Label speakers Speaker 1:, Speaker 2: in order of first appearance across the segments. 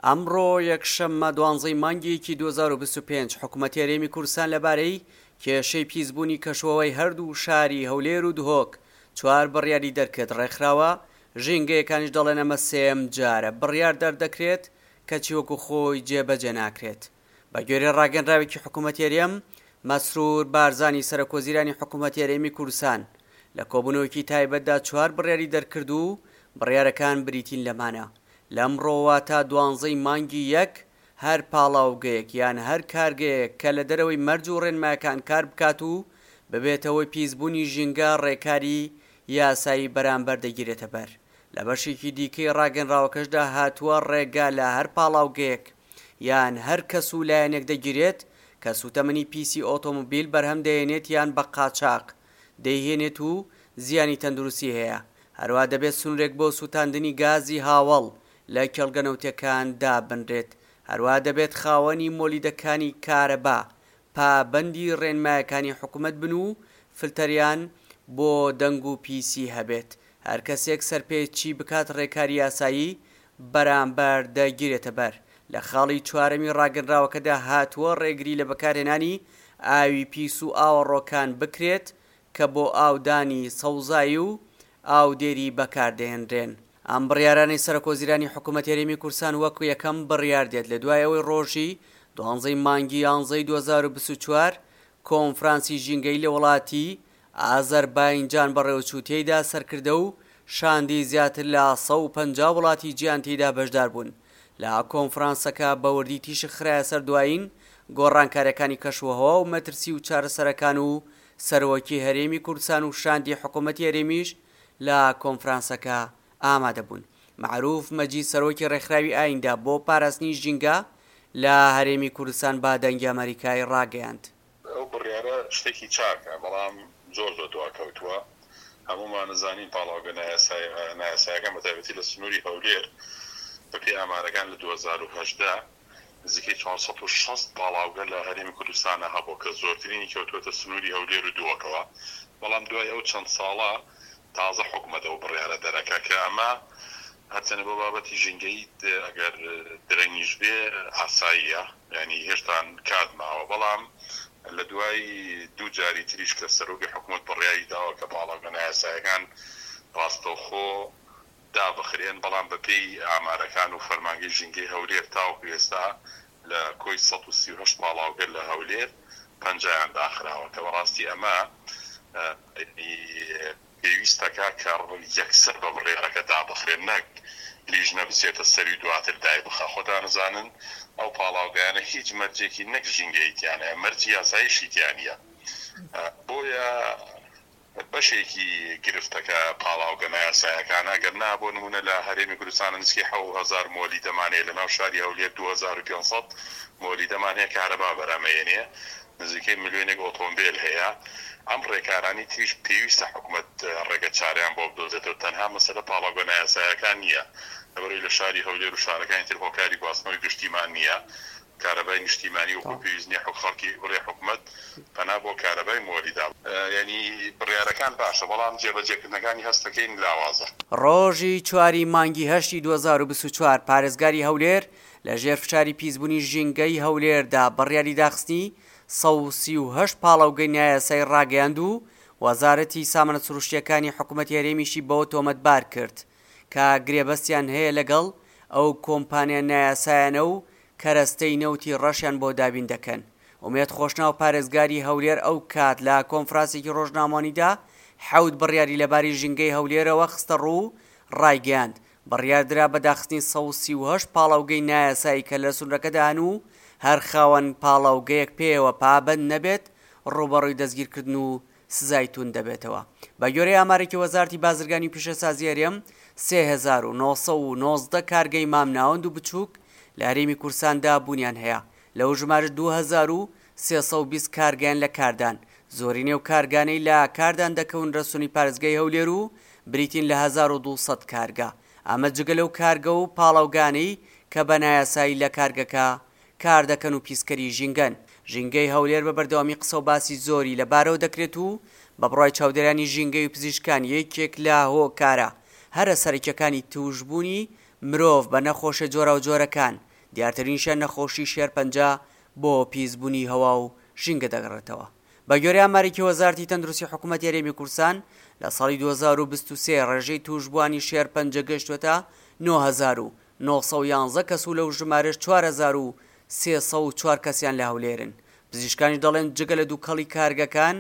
Speaker 1: ئەمڕۆ یەکشەممە دوانزەی مانگی یەکی 2025 حکومەتی هەرێمی کوردستان لەبارەی کێشەی پیسبوونی کەشوهەوای هەردوو شاری هەولێر و دهۆک چوار بڕیاری دەرکرد، ڕێکخراوە ژینگەیەکانیش دەڵێن ئەمە سێیەم جارە بڕیار دەردەکرێت کەچی وەکو خۆی جێبەجێ ناکرێت. بەگوێرەی ڕاگەنراوێکی حکومەتی هەرێم، مەسرور بارزانی سەرۆکوەزیرانی حکومەتی هەرێمی کوردستان لە کۆبوونەوەیەکی تایبەتدا چوار بڕیاری دەرکرد و بڕیارەکان بریتین لەمانە، لەمڕۆوە تا دوانزەی مانگی یەک هەر پاڵاوگەیەک یان هەر کارگەیەک کە لە دەرەوەی مەرج و ڕێنمایەکان کار بکات و ببێتە هۆی پیسبوونی ژینگە ڕێکاری یاسایی بەرامبەر دەگیرێتە بەر. لە بەشێکی دیکەی ڕاگەنراوەکەشدا هاتووە ڕێگا لە هەر پاڵاوگەیەک یان هەر کەس و لایەنێک دەگیرێت کە سووتەمەنی پیسی ئۆتۆمبیل بەرهەم دەهێنێت یان بە قاچاق دەیهێنێت و زیانی تەندروستی هەیە، هەروەها دەبێت سنوورێک بۆ سووتاندنی گازی هاوەڵ لە کێڵگە نەوتیەکان دابنرێت، هەروەها دەبێت خاوەنی مۆلیدەکانی کارەبا پابەندی ڕێنمایەکانی حکومەت بن و فلتەریان بۆ دەنگ و پیسی هەبێت، هەر کەسێک سەرپێچی بکات ڕێکاری یاسایی بەرامبەر دەگیرێتە بەر. لە خاڵی چوارەمی ڕاگەنراوەکەدا هاتووە ڕێگری لە بەکارهێنانی ئاوی پیس و ئاوەڕۆکان بکرێت کە بۆ ئاودانی سەوزایی و ئاودێری بەکاردەهێنرێن. ئەم بڕیارانەی سەرۆکوەزیرانی حکوومەتی هەرێمی کوردستان وەک یەکەم بڕیار دێت لە دوای ئەوەی ڕۆژی دوانزەی مانگی یانزەی 2024 کۆنفرانسی ژینگەیی لە وڵاتی ئازەرباینجان بەڕێوەچوو، تێیدا سەرکردە و شاندی زیاتر لە 150 وڵاتی جیهان تێیدا بەشداربوون. لە کۆنفرانسەکە بە وردی تیشک خرایە سەر دوایین گۆڕانکارییەکانی کەشوهەوا و مەترسی و چارەسەرەکان و سەرۆکی هەرێمی کوردستان و شاندی حکوومەتی هەرێمیش لە کۆنفرانسەکە ئامادەبوون. مەعروف مەجید سەرۆکی ڕێکخراوی ئایندە بۆ پاراستنی ژینگە لە هەرێمی کوردستان بە دەنگی ئەمەریکای ڕاگەیاند.
Speaker 2: ئەو بڕیارە شتێکی چاکە، بەڵام زۆر زۆر دواکەوتووە. هەموومان ئەزانین پاڵاوگە نایاسایەکان بە تایبەتی لە سنووری هەولێر بەپێی ئامارەکان لە 2018 نزیکەی 460 پاڵاوگە لە هەرێمی کوردستانا هەبووە کە زۆرترینی کەوتووەتە سنووری هەولێر و دهۆکەوە، بەڵام دوای ئەو چەند ساڵە تازە حکومەت ئەو بڕیارە دەرەکا کە ئەمە هەرچەندە بۆ بابەتی ژینگەیی ئەگەر درەنگیش بێ ئاساییە یانی هێشتان کات ماوە بەڵام لە دوای دوو جاری تریش کە سەرۆکی حکومەت بڕیاری داوە کە پاڵاوگە نایاسایەکان ڕاستەوخۆ دابخرێن بەڵام بەپێی ئامارەکان و فەرمانگەی ژینگەی هەولێر تاوەکو ئێستا لە کۆی 138 پاڵاوگە لە هەولێر پەنجایان داخراوە کە بەڕاستی ئەمە پێویستەکە کە یەکسەر بە بڕیارەکە دابخرێن نەک لیژنە بچێتە سەری و دواتر دایبخا خۆتان ئەزانن ئەو پاڵاوگایانە هیچ مەرجێکی نەک ژینگەیی تیا نیە مەرجی یاساییشی تیا نیە بۆیە بەشێکی گرفتەکە پاڵاوگە نایاسایەکانە، گەر نا بۆ نموونە لە هەرێمی کوردستان نزیکەی 7000 مۆلیدەمان هەیە، لەناو شاری هەولێر 2500 مۆلیدەمان هەیە کارەبا بەرهەمەیەنێ، نزیکەی ملیۆنێک ئۆتۆمبێل هەیە، ئەم ڕێکارانەی تریش پێویستە حکومەت ڕێگە چارەیان بۆ بدۆزێتەوە، تەنها مەسەلە پاڵاوگە نایاسایەکان نییە، لەبەرئەوەی لە شاری هەولێر و شارەکانی تر هۆکاری گواستنەوەی گشتیمان نییە، کارەبای نیشتیمانی وەکو پێویست نیە خەڵکی بڵێ حکومەت پەنا بۆ کارەبای مۆلیدا یانی بڕیارەکان باشە بەڵام جێبەجێکردنەکانی هەستەکەین لاوازە.
Speaker 1: ڕۆژی چواری مانگی هەشتی 2024 پارێزگاری هەولێر لە ژێر فشاری پیسبوونی ژینگەی هەولێردا بڕیاری داخستنی 138 پاڵاوگەی نایاسایی ڕاگەیاند و وەزارەتی سامانە سروشتییەکانی حکومەتی هەرێمیشی بەوە تۆمەتبار کرد کە گرێبەستیان هەیە لەگەڵ ئەو کۆمپانیا نایاسایانە و کەرەستەی نەوتی ڕەشیان بۆ دابین دەکەن. ئومێد خۆشناو پارێزگاری هەولێر ئەو کات لە کۆنفراسێکی ڕۆژنامەوانیدا حەوت بڕیاری لەباری ژینگەی هەولێرەوە خستەڕوو و ڕایگەیاند، بڕیاردرا بە داخستنی 138 پاڵاوگەی نایاسایی کە لە سنورەکەدا هەن و هەر خاوەن پاڵاوگەیەک پێیەوە پابەند نەبێت ڕووبەڕووی دەستگیرکردن و سزای توند دەبێتەوە. بەگوێرەی ئامارێکی وەزارەتی بازرگانی و پیشەسازی هەرێم، 3919 کارگەی مامناوەند و بچووک لە هەرێمی کوردستاندا بوونیان هەیە، لەو ژمارەش 2320 کارگەیان لە کاردان، زۆرینەی ئەو کارگانەی لە کاردان دەکەونرە سنووری پارێزگای هەولێر و بریتین لە 1200 کارگە، ئەمە جگە لەو کارگە و پاڵاوگانەی کە بە نایاسایی لە کارگەکە کاردەکەن و پیسکەری ژینگەن. ژینگەی هەولێر بە بەردەوامی قسە و باسی زۆری لە بارەوە دەکرێت و بە بڕوای چاودێرانی ژینگەی و پزیشکان یەکێک لە هۆکارە هەرە سەرەکیەکانی توشبوونی مرۆڤ بە نەخۆشیە جۆراوجۆرەکان دیارترینیشیان نەخۆشی شێرپەنجە بۆ پیسبوونی هەوا و ژینگە دەگەڕێتەوە. بەگوێرەی ئامارێکی وەزارەتی تەندروستی حکوومەتی هەرێمی کوردستان، لە ساڵی 2023 ڕێژەی تووشبووانی شێرپەنجە گەیشتووەتە 9911 کەس و لەو ژمارەش 4304 کەسیان لە هەولێرن. پزیشکانیش دەڵێن جگە لە دووکەڵی کارگەکان،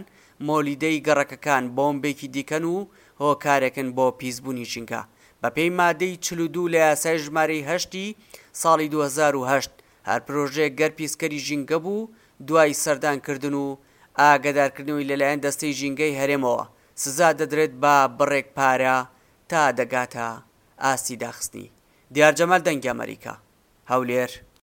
Speaker 1: مۆلیدەی گەڕەکەکان بۆمبێکی دیکەن و هۆکارێکن بۆ پیسبوونی ژینگە. بەپێی مادەی 42 لە یاسای ژمارەی هەشتی ساڵی 2008، هەر پرۆژەیەک گەر پیسکەری ژینگە بوو دوای سەردانکردن و ئاگەدارکردنەوەی لەلایەن دەستەی ژینگەی هەرێمەوە سزا دەدرێت بە بڕێک پارە تا دەگاتە ئاستی داخستنی. دیار جەمال دەنگی ئەمەریکا، هەولێر.